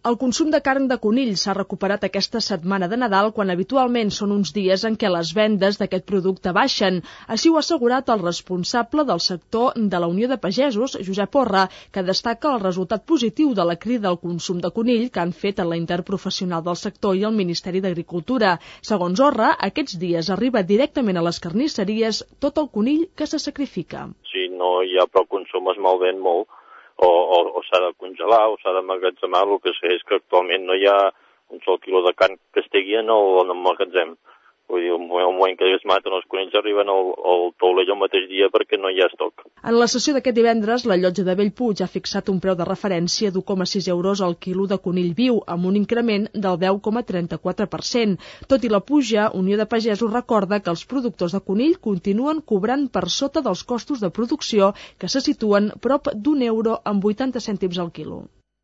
El consum de carn de conill s'ha recuperat aquesta setmana de Nadal, quan habitualment són uns dies en què les vendes d'aquest producte baixen. Així ho ha assegurat el responsable del sector de la Unió de Pagesos, Josep Orra, que destaca el resultat positiu de la crida al consum de conill que han fet a la interprofessional del sector i el Ministeri d'Agricultura. Segons Orra, aquests dies arriba directament a les carnisseries tot el conill que se sacrifica. Si no hi ha prou consum es malven molt. O s'ha de congelar o s'ha d'emmagatzemar. El que sé és que actualment no hi ha un sol quilo de carn que estigui en el magatzem. Vull dir, el moment que es maten els conills arriben al taulell el mateix dia perquè no hi ha estoc. En la sessió d'aquest divendres, la llotja de Bellpuig ha fixat un preu de referència d'1,6 euros al quilo de conill viu, amb un increment del 10,34%. Tot i la puja, Unió de Pagesos recorda que els productors de conill continuen cobrant per sota dels costos de producció, que se situen prop d'1 euro amb 80 cèntims al quilo.